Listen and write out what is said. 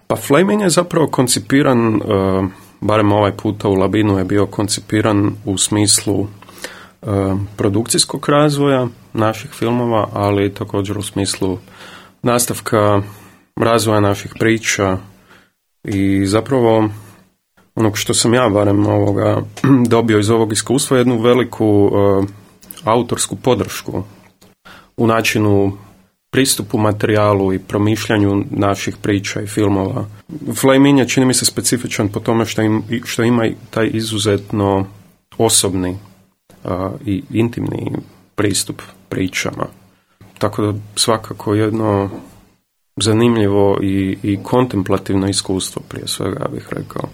Pa Flaming je zapravo koncipiran, barem ovaj puta u Labinu je bio koncipiran u smislu produkcijskog razvoja naših filmova, ali također u smislu nastavka razvoja naših priča i zapravo onog što sam ja barem dobio iz ovog iskustva, jednu veliku autorsku podršku u načinu pristupu materijalu i promišljanju naših priča i filmova. Flaming je, čini mi se, specifičan po tome što ima taj izuzetno osobni i intimni pristup pričama. Tako da svakako jedno zanimljivo i kontemplativno iskustvo, prije svega bih rekao.